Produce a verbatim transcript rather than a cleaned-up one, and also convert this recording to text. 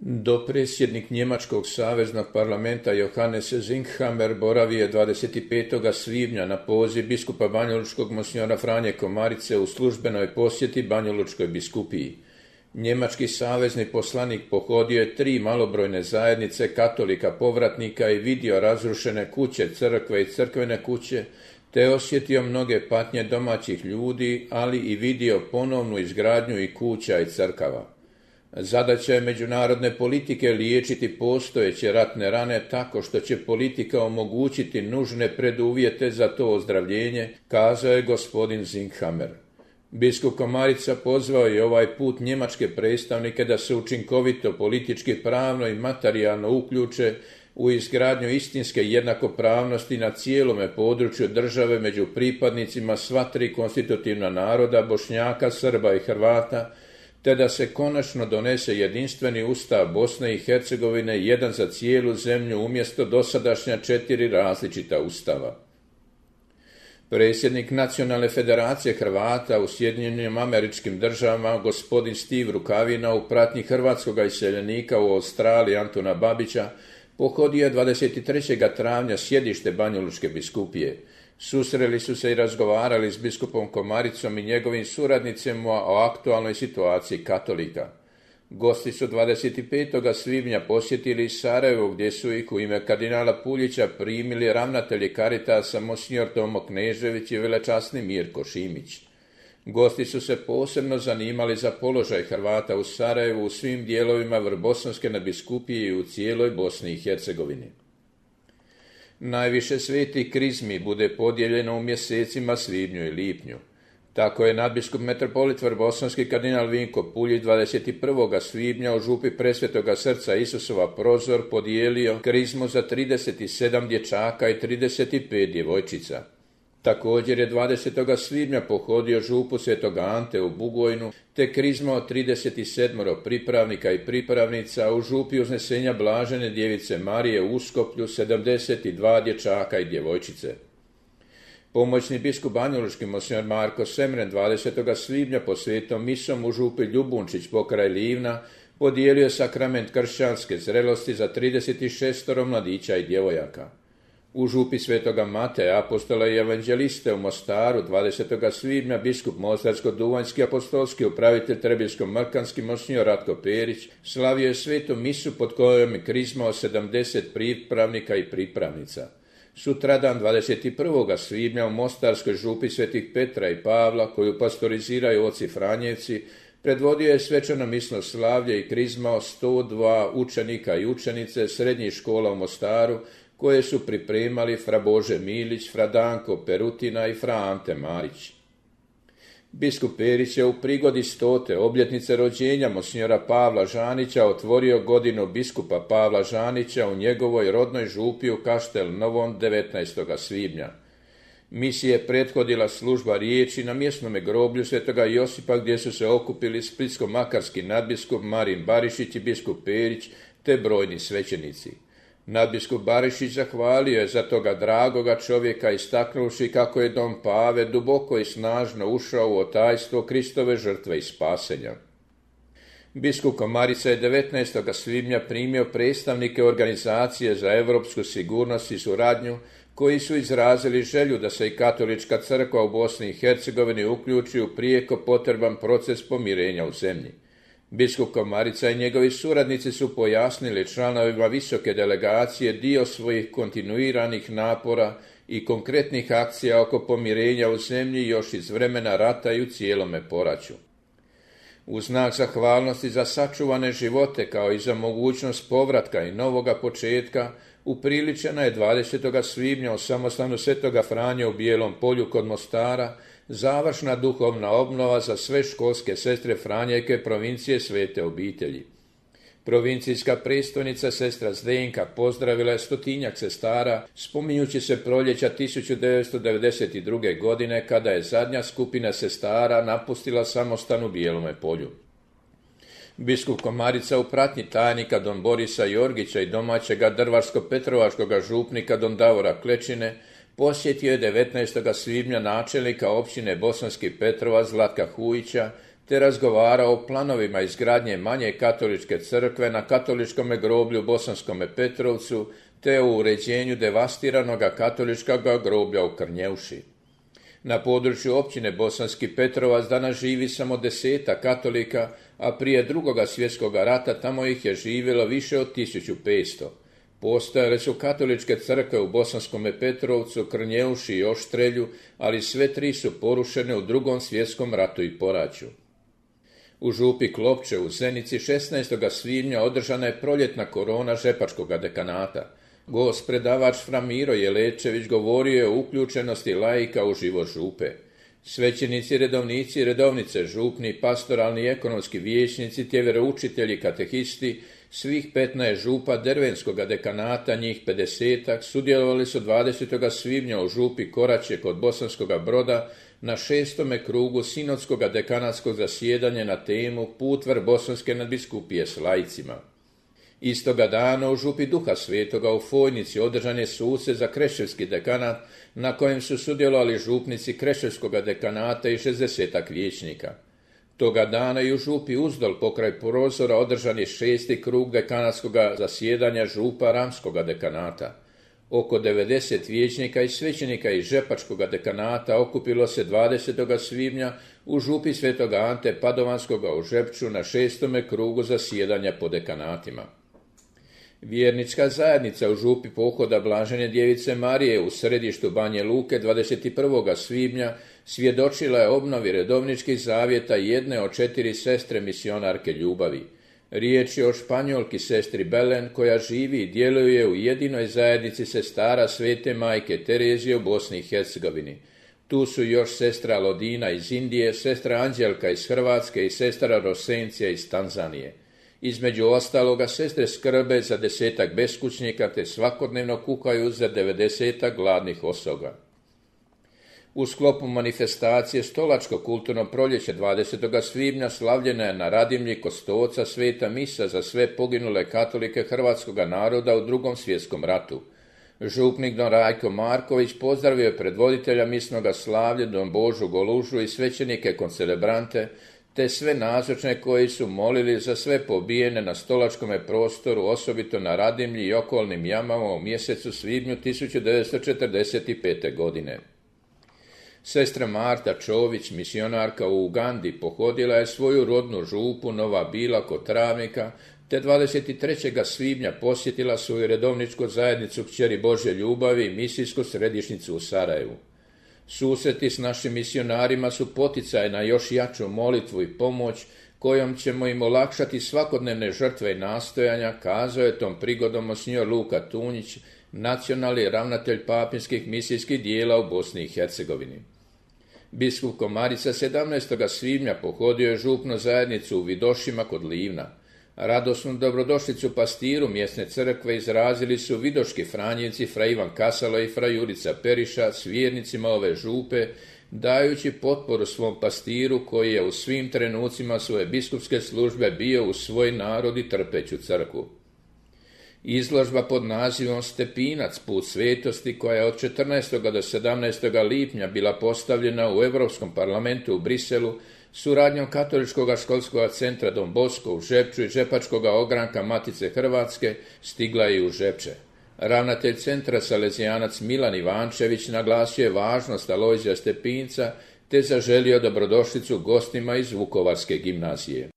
Dopredsjednik Njemačkog saveznog parlamenta Johannes Zinkhammer boravio je dvadeset petog svibnja na poziv biskupa banjalučkog monsignora Franje Komarice u službenoj posjeti Banjalučkoj biskupiji. Njemački savezni poslanik pohodio je tri malobrojne zajednice katolika povratnika i vidio razrušene kuće, crkve i crkvene kuće, te osjetio mnoge patnje domaćih ljudi, ali i vidio ponovnu izgradnju i kuća i crkava. Zadaća je međunarodne politike liječiti postojeće ratne rane tako što će politika omogućiti nužne preduvjete za to ozdravljenje, kazao je gospodin Zinkhammer. Biskup Komarica pozvao je ovaj put njemačke predstavnike da se učinkovito politički, pravno i materijalno uključe u izgradnju istinske jednakopravnosti na cijelome području države među pripadnicima sva tri konstitutivna naroda, Bošnjaka, Srba i Hrvata, te da se konačno donese jedinstveni ustav Bosne i Hercegovine, jedan za cijelu zemlju umjesto dosadašnja četiri različita ustava. Predsjednik Nacionalne federacije Hrvata u Sjedinjenim Američkim Državama, gospodin Steve Rukavina, u pratnji hrvatskog iseljenika u Australiji Antuna Babića, pohodio je dvadeset trećeg travnja sjedište Banjalučke biskupije. Susreli su se i razgovarali s biskupom Komaricom i njegovim suradnicima o aktualnoj situaciji katolika. Gosti su dvadeset petog svibnja posjetili Sarajevo, gdje su ih u ime kardinala Puljića primili ravnatelji Caritasa monsignor Tomo Knežević i velečasni Mirko Šimić. Gosti su se posebno zanimali za položaj Hrvata u Sarajevu, u svim dijelovima Vrbosanske nadbiskupije i u cijeloj Bosni i Hercegovini. Najviše svetih krizmi bude podijeljeno u mjesecima svibnju i lipnju. Tako je nadbiskup metropolit Vrbosanski kardinal Vinko Puljić dvadeset prvog svibnja u župi Presvetoga srca Isusova Prozor podijelio krizmu za trideset sedam dječaka i trideset pet djevojčica. Također je dvadesetog svibnja pohodio župu Svetog Ante u Bugojnu, te krizma od trideset sedam pripravnika i pripravnica u župi Uznesenja Blažene Djevice Marije u Uskoplju, sedamdeset dva dječaka i djevojčice. Pomoćni biskup banjalučki monsignor Marko Semren dvadesetog svibnja po svetom misom u župi Ljubunčić pokraj Livna podijelio sakrament kršćanske zrelosti za trideset šest mladića i djevojaka. U župi Svetoga Mateja, apostola i evanđeliste u Mostaru, dvadesetog svibnja biskup mostarsko-duvanjski apostolski upravitelj Trebinsko-Mrkanski monsignor Ratko Perić slavio je svetu misu pod kojom je krizmao sedamdeset pripravnika i pripravnica. Sutradan dvadeset prvog svibnja u Mostarskoj župi Svetih Petra i Pavla, koju pastoriziraju oci Franjevci, predvodio je svečano misno slavlje i krizmao sto dva učenika i učenice srednjih škola u Mostaru, koje su pripremali fra Bože Milić, fra Danko Perutina i fra Ante Marić. Biskup Perić je u prigodi stote obljetnice rođenja monsignora Pavla Žanića otvorio godinu biskupa Pavla Žanića u njegovoj rodnoj župi u Kaštel Novom devetnaestog svibnja. Misiji je prethodila služba riječi na mjesnome groblju Svetoga Josipa, gdje su se okupili splitsko-makarski nadbiskup Marin Barišić i biskup Perić te brojni svećenici. Nadbiskup Barišić zahvalio je za toga dragoga čovjeka, istaknuvši kako je dom Pave duboko i snažno ušao u otajstvo Kristove žrtve i spasenja. Biskup Komarica je devetnaestog svibnja primio predstavnike Organizacije za europsku sigurnost i suradnju, koji su izrazili želju da se i katolička crkva u Bosni i Hercegovini uključi u prijeko potreban proces pomirenja u zemlji. Biskup Komarica i njegovi suradnici su pojasnili članovima visoke delegacije dio svojih kontinuiranih napora i konkretnih akcija oko pomirenja u zemlji još iz vremena rata i u cijelome poraću. U znak zahvalnosti za sačuvane živote kao i za mogućnost povratka i novoga početka, upriličena je dvadesetog svibnja u samostanu Svetoga Franje u Bijelom Polju kod Mostara završna duhovna obnova za sve školske sestre Franjevke provincije Svete obitelji. Provincijska predstojnica sestra Zdenka pozdravila je stotinjak sestara, spominjući se proljeća tisuću devetsto devedeset druge. godine, kada je zadnja skupina sestara napustila samostan u Bijelome Polju. Biskup Komarica u pratnji tajnika don Borisa Jorgića i domaćega drvarsko-petrovačkoga župnika don Davora Klečine posjetio je devetnaestog svibnja načelnika općine Bosanski Petrovac Zlatka Hujića, te te razgovarao o planovima izgradnje manje katoličke crkve na katoličkom groblju u Bosanskome Petrovcu, te o uređenju devastiranoga katoličkog groblja u Krnjeuši. Na području općine Bosanski Petrovac danas živi samo deseta katolika, a prije drugoga svjetskog rata tamo ih je živjelo više od tisuću petsto. Postojale su katoličke crkve u Bosanskome Petrovcu, Krnjeuši i Oštrelju, ali sve tri su porušene u drugom svjetskom ratu i poraću. U župi Klopče u Zenici šesnaestog svibnja održana je proljetna korona žepačkog dekanata. Gost predavač Fra Miro Jelečević govorio je o uključenosti laika u život župe. Svećenici, redovnici i redovnice župni, pastoralni i ekonomski vijećnici, te vjeroučitelji, katehisti, svih petnaest župa Dervenskog dekanata, njih pedesetak, sudjelovali su dvadesetog svibnja u župi Koraće kod Bosanskog Broda na šestome krugu sinodskog dekanatskog zasjedanja na temu Put vrh Bosanske nadbiskupije s laicima. Istoga dana u župi Duha Svetoga u Fojnici održan je susret za kreševski dekanat na kojem su sudjelovali župnici kreševskog dekanata i šezdesetak vijećnika. Toga dana i u župi Uzdol pokraj prozora održan je šesti krug dekanatskog zasjedanja župa Ramskog dekanata. Oko devedeset vijećnika i svećenika iz žepačkog dekanata okupilo se dvadesetog svibnja u župi Svetog Ante Padovanskog u Žepču na šestome krugu zasjedanja po dekanatima. Vjernička zajednica u župi Pohoda Blažene Djevice Marije u središtu Banje Luke dvadeset prvog svibnja svjedočila je obnovi redovničkih zavjeta jedne od četiri sestre misionarke ljubavi. Riječ je o Španjolki sestri Belen koja živi i djeluje u jedinoj zajednici sestara Svete majke Terezije u Bosni i Hercegovini. Tu su još sestra Lodina iz Indije, sestra Anđelka iz Hrvatske i sestra Rosencija iz Tanzanije. Između ostaloga, sestre skrbe za desetak beskućnika te svakodnevno kuhaju za devedesetak gladnih osoba. U sklopu manifestacije Stolačko kulturno proljeće dvadesetog svibnja slavljena je na Radimlji kod Stoca sveta misa za sve poginule katolike hrvatskog naroda u drugom svjetskom ratu. Župnik don Rajko Marković pozdravio je predvoditelja misnoga slavlja don Božu Golužu i svećenike koncelebrante, te sve nazočne koji su molili za sve pobijene na stolačkome prostoru, osobito na Radimlji i okolnim jamama u mjesecu svibnju tisuću devetsto četrdeset pete. godine. Sestra Marta Čović, misionarka u Ugandi, pohodila je svoju rodnu župu Nova Bila kod Travnika, te dvadeset trećeg svibnja posjetila svoju redovničku zajednicu Kćeri Božje ljubavi i misijsku središnjicu u Sarajevu. Susreti s našim misionarima su poticaj na još jaču molitvu i pomoć kojom ćemo im olakšati svakodnevne žrtve i nastojanja, kazao je tom prigodom monsinjor Luka Tunjić, nacionalni ravnatelj papinskih misijskih dijela u Bosni i Hercegovini. Biskup Komarica sedamnaestog svibnja pohodio je župnu zajednicu u Vidošima kod Livna. Radosnu dobrodošlicu pastiru mjesne crkve izrazili su vidoški franjevci fra Ivan Kasalo i fra Jurica Periša s vjernicima ove župe, dajući potporu svom pastiru koji je u svim trenucima svoje biskupske službe bio u svoj narod i trpeću crkvu. Izložba pod nazivom Stepinac, put svetosti, koja je od četrnaestog do sedamnaestog lipnja bila postavljena u Europskom parlamentu u Briselu, suradnjom Katoličkog školskog centra Don Bosco u Žepču i Žepačkog ogranka Matice Hrvatske, stigla je i u Žepče. Ravnatelj centra salezijanac Milan Ivančević naglasio je važnost Alojzija Stepinca te zaželio dobrodošlicu gostima iz Vukovarske gimnazije.